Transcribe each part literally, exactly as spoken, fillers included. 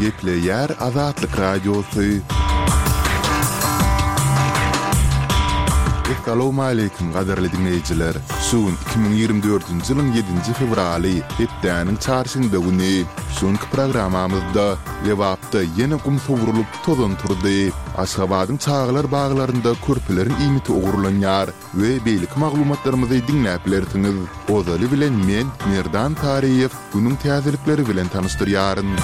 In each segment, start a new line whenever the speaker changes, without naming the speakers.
Gepleýär Azatlyk Radiosy. Essalawmaleýkim gadyrly diňleýjiler! Şu gün iki müň ýigrimi dördünji ýylyň ýedinji fewraly, hepdäniň çarşenbe güni. Şu günki programmamyzda Lebapda ýene gum sowrulyp, tozan turdy. Aşgabadyň çagalar baglarynda körpeleriň iýmiti ogurlanýar we beýleki maglumatlarymyzy diňläp bilersiňiz. Ozaly bilen men, Merdan Taryýew, günüň täzelikleri bilen tanyşdyrýaryn.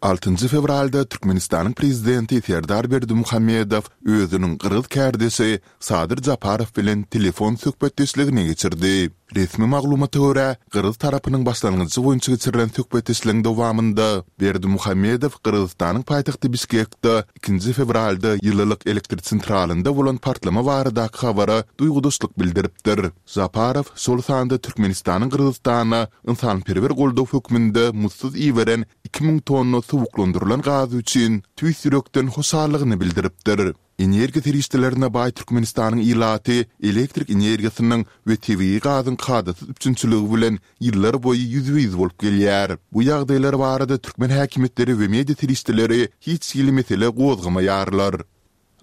Altynjy fewralda Türkmenistanyň Prezidenti Serdar Berdimuhamedow özüniň gyrgyz kärdeşi Sadyr Japarow bilen telefon söhbetdeşligini geçirdi. Resmi maglumata görä, gyrgyz tarapynyň başlangyjy boýunça geçirilen söhbetdeşligiň dowamynda Berdimuhamedow Gyrgyzystanyň paýtagty Bişkekde ikinji fewralda ýylylyk elektrosentralynda bolan partlama baradaky habara duýgudaşlyk bildiripdir. Japarow şol sanda Türkmenistanyň Gyrgyzystana ynsanperwer goldaw hökmünde muzdsuz iberen iki müň tonna suwuklandyrylan gazy üçin tüýs ýürekden hoşallygyny bildiripdir. Energiýa serişdelerine baý Türkmenistanyň ilaty elektrik energiýasynyň we tebigy gazyň kadasyz üpjünçiligi bilen ýyllar boýy ýüzbe-ýüz bolup gelýär. Bu ýagdaýlar barada türkmen häkimiýetleri we media serişdeleri hiç hili mesele gozgamaýarlar.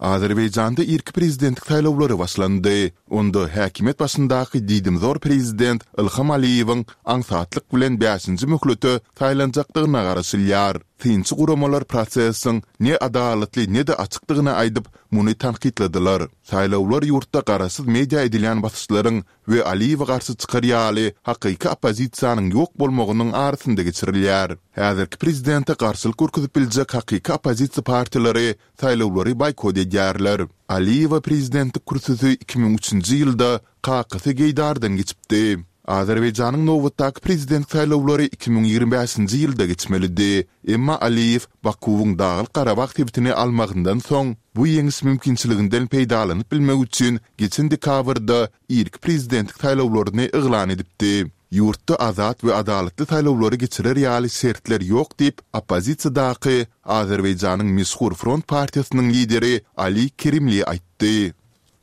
Azerbaýjanda irki prezidentlik saýlawlary başlandy. Onda häkimiýet başyndaky diýdimzor prezident Ilham Aliýewiň aňsatlyk bilen bäşinji möhlete saýlanjakdygyna garaşylýar. Synçy guramalar prosesiň ne adalatly ne-de açykdygyny aýdyp, muny tankytladylar. Saýlawlar ýurtda garaşsyz media edilýän basyşlaryň we Aliýewe garşy çykar ýaly hakyky oppozisiýanyň ýok bolmagynyň arasynda geçirilýär. Häzirki prezidente garşylyk görkezip biljek hakyky oppozisiýa partiýalary saýlawlary boýkot edýärler. Aliýewe prezidentlik kürsüsi iki müň üçünji ýylda kakasy Geýdardan geçipdi. Azerbaýjanyň nobatdaky prezident saýlawlary iki müň ýigrimi bäşinji ýylda geçmelidi. Emma Aliýew Bakuwyň Daglyk-Garabag sebitini almagyndan soň, bu ýeňiş mümkinçiliginden peýdalanyp bilmek üçin geçen dekabrda irki prezidentlik saýlawlaryny yglan edipdi. Ýurtda azat we adalatly saýlawlary geçirer ýaly şertler ýok diýip, oppozisiýadaky Azerbaýjanyň meşhur Front partiýasynyň lideri Ali Kerimli aýtdy.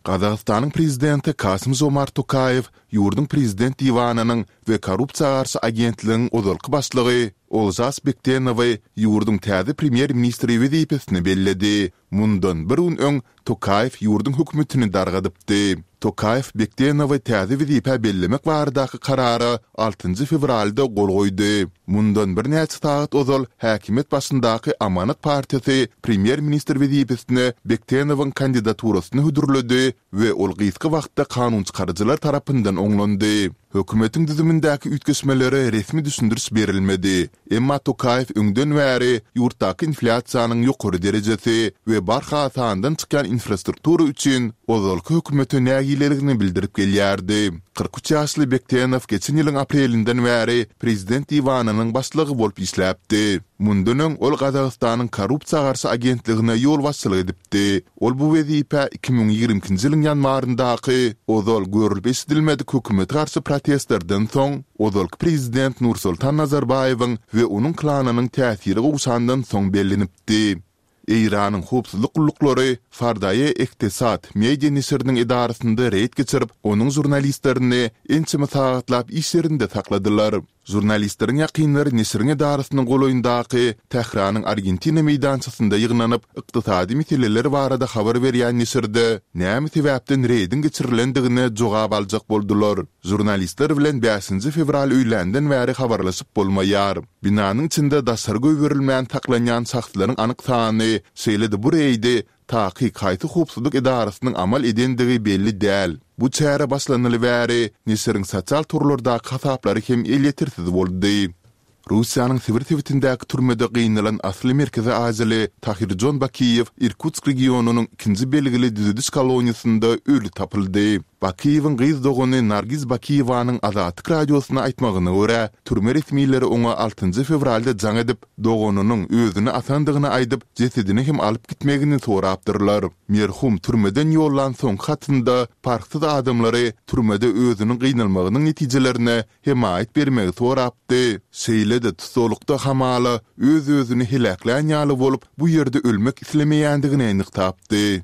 Gazagystanyň prezidenti Kasym-Žomart Tokaýew ýurduň prezident diwanynyň we korrupsiýa garşy agentligiň ozalky başlygy Olžas Bektenowy ýurduň täze premýer-ministri wezipesine belledi. Mundan bir gün öň Tokaýew ýurduň hökümetini dargadypdy. Tokaýew Bektenowy täze wezipä bellemek baradaky karara altynjy fewralda gol goýdy. Mundan birnäçe sagat ozal häkimiýet başyndaky Amanat partiýasy premýer-ministr wezipesine Bektenowyň kandidaturasyny hödürledi we ol gysga wagtda kanunçykaryjylar tarapyndan oňlandy. Hökümetiň düzümindäki üýtgeşmelere resmi düşündiriş berilmedi. Emma Tokaýew öňden bäri ýurtdaky inflýasiýanyň ýokary derejesi we barha sandan çykýan infrastruktura üçin ozalky hökümete nägileligini bildirip gelýärdi. Kyrk üç ýaşly Bektenow geçen ýylyň aprelinden bäri prezident diwanynyň başlygy bolup işläpdi. Mundan öň ol Gazagystanyň korrupsiýa garşy agentligine ýolbaşçylyk edipdi. Ol bu wezipä iki müň ýigrimi ikinji ýylyň ýanwaryndaky ozal görlüp-eşidilmedik hökümete garşy protestlerden soň, ozalky prezident Nursultan Nazarbaýewiň we onuň klanynyň täsiri gowşandan soň bellenipdi. Eýranyň howpsuzlyk gulluklary Fardaye Ektesad media neşiriniň edarasynda reýd geçirip, onuň žurnalistlerini ençeme sagatlap iş ýerinde sakladylar. Žurnalistleriň ýakynlary neşiriň edarasynyň golaýyndaky Tähranyň Argentina meýdançasynda ýygnanyp, ykdysady meseleler barada habar berýän neşirde näme sebäpden reýdiň geçirilendigine jogap aljak boldular. Žurnalistler bilen bäşinji fewral öýländen bäri habarlaşyp bolmaýar. Binanyň içinde daşary goýberilmän saklanýan şahslaryň anyk sany, şeýle-de bu reýdi takyk haýsy howpsuzlyk edarasynyň amal edendigi belli däl. Bu çäre başlanaly bäri neşiriň sosial torlardaky hasaplary hem elýetersiz boldy. Russiýanyň Sibir sebitindäki türmede gynalan asly merkezi aziýaly Tahirjon Bakiýew Irkutsk regionynyň ikinji belgili düzediş koloniýasynda öli tapyldy. Bakiýewiň gyz dogany Nargiz Bakiýewanyň Azatlyk Radiosyna aýtmagyna görä, türme resmileri oňa altynjy fewralda jaň edip, doganynyň özüni asandygyny aýdyp, jesedini hem alyp gitmegini sorapdyrlar. Merhum türmeden ýollan soňky hatynda parhsyz adamlary türmede özüniň gynalmagynyň netijelerine hemaýat bermegi sorapdy, şeýle-de tussaglykda hamala öz-özüni heläklän ýaly bolup, bu ýerde ölmek islemeýändigini nygtapdy.